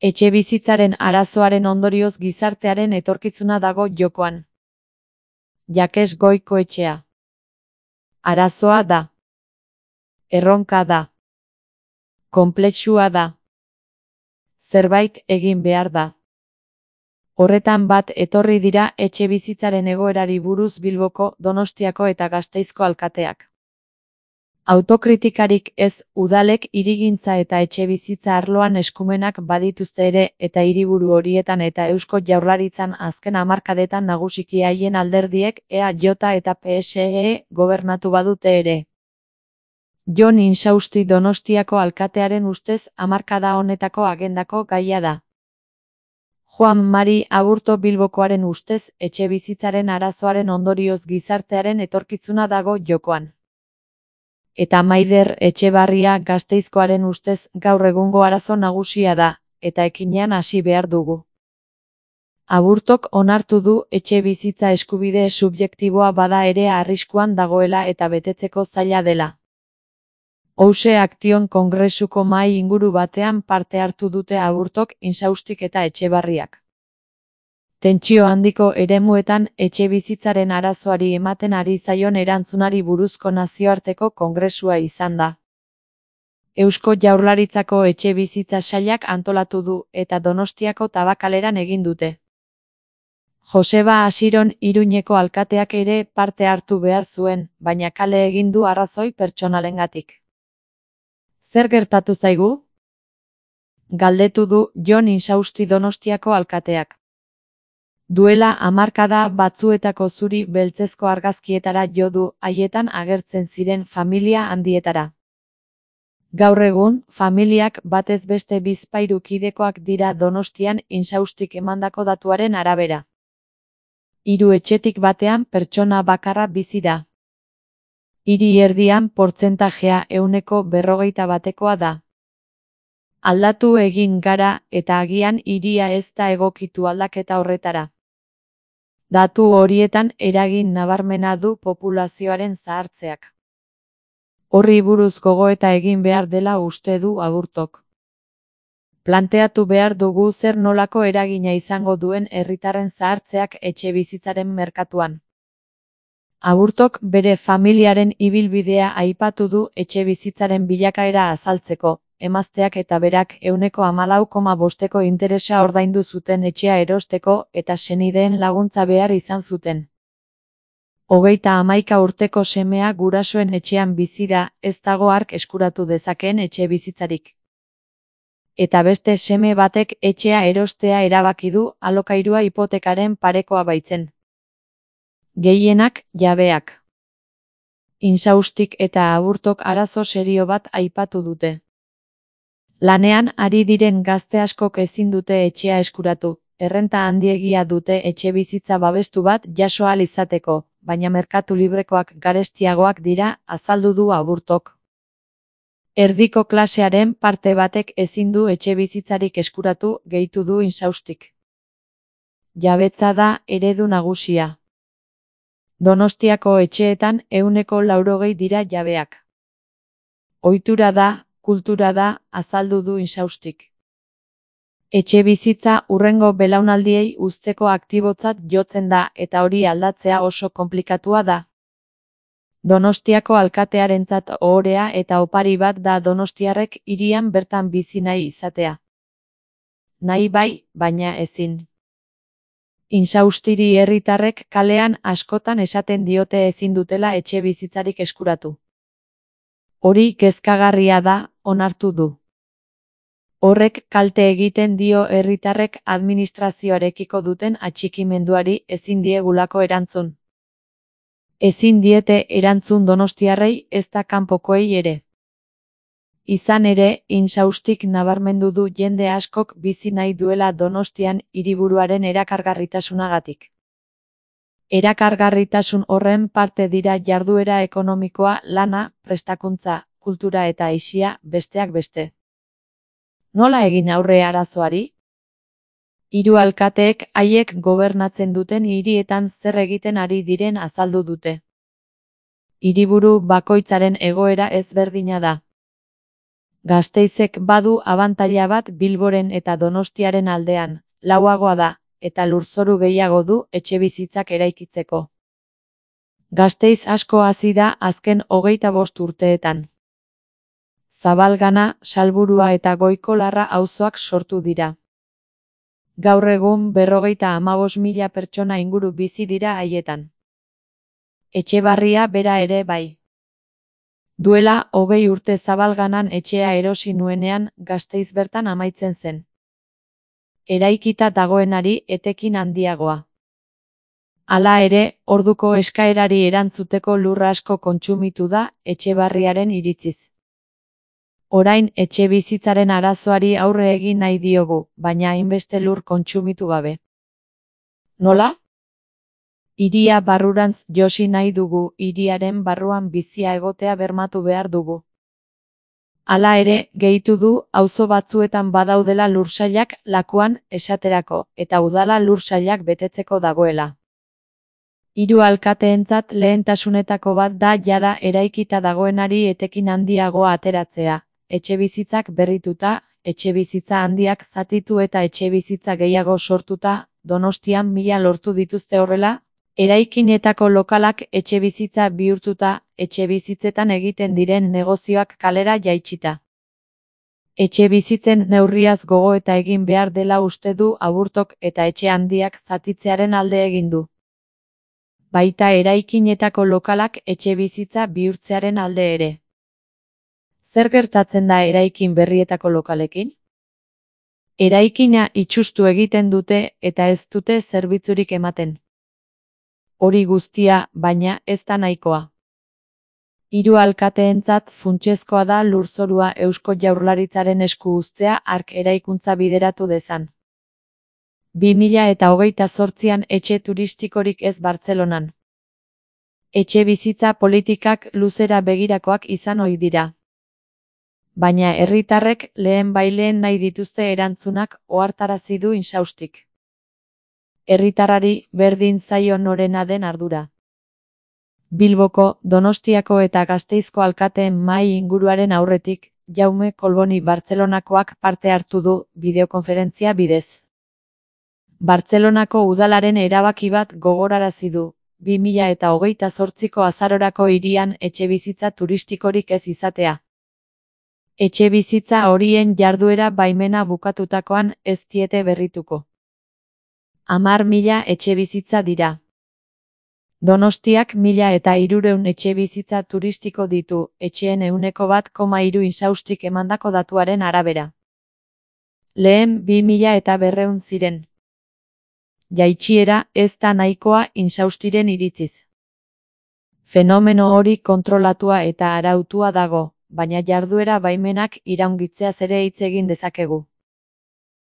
Etxebizitzaren arazoaren ondorioz gizartearen etorkizuna dago jokoan. Jakes Goikoetxea. Arazoa da. Erronka da. Konplexua da. Zerbait egin behar da. Horretan bat etorri dira etxebizitzaren egoerari buruz Bilboko, Donostiako eta Gasteizko alkateak. Autokritikarik ez, udalek hirigintza eta etxebizitza arloan eskumenak badituzte ere, eta hiriburu horietan eta Eusko Jaurlaritzan azken hamarkadetan nagusiki haien alderdiek EAJ eta PSE gobernatu badute ere. Jon Insausti Donostiako alkatearen ustez hamarkada honetako agendako gaia da. Juan Mari Aburto Bilbokoaren ustez etxebizitzaren arazoaren ondorioz gizartearen etorkizuna dago jokoan. Eta Maider Etxebarria Gasteizkoaren ustez gaur egungo arazo nagusia da, eta ekinean hasi behar dugu. Aburtok onartu du etxebizitza eskubide subjektiboa bada ere arriskuan dagoela eta betetzeko zaila dela. Ouse Aktion Kongresuko mahai inguru batean parte hartu dute Aburtok, Insaustik eta Etxebarriak. Tentsio handiko eremuetan etxebizitzaren arazoari ematen ari zaion erantzunari buruzko nazioarteko kongresua izan da. Eusko Jaurlaritzako etxebizitza sailak antolatu du eta Donostiako Tabakaleran egin dute. Joseba Asiron Iruñeko alkateak ere parte hartu behar zuen, baina kale egin du arrazoi pertsonalengatik. Zer gertatu zaigu? Galdetu du Jon Insausti Donostiako alkateak. Duela hamarkada batzuetako zuri beltzezko argazkietara jo du, haietan agertzen ziren familia handietara. Gaur egun, familiak batez beste bizpahiru kidekoak dira Donostian Insaustik emandako datuaren arabera. 3 etxetik batean pertsona bakarra bizi da. Hiri erdian portzentajea 41%koa da. Aldatu egin gara eta agian hiria ez da egokitu aldaketa horretara. Datu horietan eragin nabarmena du populazioaren zahartzeak. Horri buruz gogoeta egin behar dela uste du Aburtok. Planteatu behar dugu zer nolako eragina izango duen herritarren zahartzeak etxebizitzaren merkatuan. Aburtok bere familiaren ibilbidea aipatu du etxebizitzaren bilakaera azaltzeko. Emazteak eta berak 14,5%ko interesa ordaindu zuten etxea erosteko eta senideen laguntza behar izan zuten. 31 urteko semea gurasoen etxean bizi da, ez dago hark eskuratu dezakeen etxebizitzarik. Eta beste seme batek etxea erostea erabaki du alokairua hipotekaren parekoa baitzen. Gehienak jabeak. Insaustik eta Aburtok arazo serio bat aipatu dute. Lanean ari diren gazte askok ezin dute etxea eskuratu, errenta handiegia dute etxebizitza babestu bat jaso ahal izateko, baina merkatu librekoak garestiagoak dira, azaldu du Aburtok. Erdiko klasearen parte batek ezin du etxebizitzarik eskuratu, gehitu du Insaustik. Jabetza da eredu nagusia. Donostiako etxeetan 80% dira jabeak. Ohitura da, kultura da, azaldu du Insaustik. Etxebizitza hurrengo belaunaldiei uzteko aktibotzat jotzen da eta hori aldatzea oso konplikatua da. Donostiako alkatearentzat ohorea eta opari bat da donostiarrek hirian bertan bizi nahi izatea. Nahi bai, baina ezin. Insaustiri herritarrek kalean askotan esaten diote ezin dutela etxebizitzarik eskuratu. Hori kezkagarria da, onartu du. Horrek kalte egiten dio herritarrek administrazioarekiko duten atxikimenduari ezin diegulako erantzun. Ezin diete erantzun donostiarrei ezta kanpokoei ere. Izan ere, Insaustik nabarmendu du jende askok bizi nahi duela Donostian hiriburuaren erakargarritasunagatik. Erakargarritasun horren parte dira jarduera ekonomikoa, lana, prestakuntza, kultura eta aisia, besteak beste. Nola egin aurre arazoari? 3 alkateek haiek gobernatzen duten hirietan zer egiten ari diren azaldu dute. Hiriburu bakoitzaren egoera ezberdina da. Gasteizek badu abantaila bat Bilboren eta Donostiaren aldean, lauagoa da, eta lurzoru gehiago du etxebizitzak eraikitzeko. Gasteiz asko hazi da azken 25 urteetan. Zabalgana, Salburua eta Goikolarra auzoak sortu dira. Gaur egun 55.000 pertsona inguru bizi dira haietan. Etxebarria bera ere bai. Duela 20 urte Zabalganan etxea erosi nuenean Gasteiz bertan amaitzen zen. Eraikita dagoenari etekin handiagoa. Hala ere, orduko eskaerari erantzuteko lur asko kontsumitu da Etxebarriaren iritziz. Orain etxebizitzaren arazoari aurre egin nahi diogu, baina hainbeste lur kontsumitu gabe. Nola? Hiria barrurantz josi nahi dugu, hiriaren barruan bizia egotea bermatu behar dugu. Hala ere, gehitu du, auzo batzuetan badaudela lursailak lakuan esaterako, eta udala lursailak betetzeko dagoela. 3 alkateentzat lehentasunetako bat da jada eraikita dagoenari etekin handiagoa ateratzea, etxebizitzak berrituta, etxebizitza handiak zatitu eta etxebizitza gehiago sortuta, Donostian 1000 lortu dituzte horrela, eraikinetako lokalak etxebizitza bihurtuta, etxebizitzetan egiten diren negozioak kalera jaitsita. Etxebizitzen neurriaz gogo eta egin behar dela uste du Aburtok eta etxe handiak zatitzearen alde egin du. Baita eraikinetako lokalak etxebizitza bihurtzearen alde ere. Zer gertatzen da eraikin berrietako lokalekin? Eraikina itsustu egiten dute eta ez dute zerbitzurik ematen. Hori guztia, baina, ez da nahikoa. 3 alkateentzat funtsezkoa da lurzorua Eusko Jaurlaritzaren esku uztea hark eraikuntza bideratu dezan. 2028an etxe turistikorik ez Bartzelonan. Etxe bizitza politikak luzera begirakoak izan ohi dira. Baina herritarrek lehen nahi dituzte erantzunak ohartarazi du Insaustik. Herritarrari berdin zaio norena den ardura. Bilboko, Donostiako eta Gasteizko alkateen mahai inguruaren aurretik, Jaume Kolboni Bartzelonakoak parte hartu du bideokonferentzia bidez. Bartzelonako udalaren erabaki bat gogorarazi du, 2028ko azarorako hirian etxebizitza turistikorik ez izatea. Etxebizitza horien jarduera baimena bukatutakoan ez diete berrituko. 10.000 etxebizitza dira. Donostiak 1.300 etxebizitza turistiko ditu, etxeen 1,3 Insaustik emandako datuaren arabera. Lehen 2.200 ziren. Jaitsiera ez da nahikoa Insaustiren iritziz. Fenomeno hori kontrolatua eta arautua dago, baina jarduera baimenak iraungitzeaz ere hitz egin dezakegu.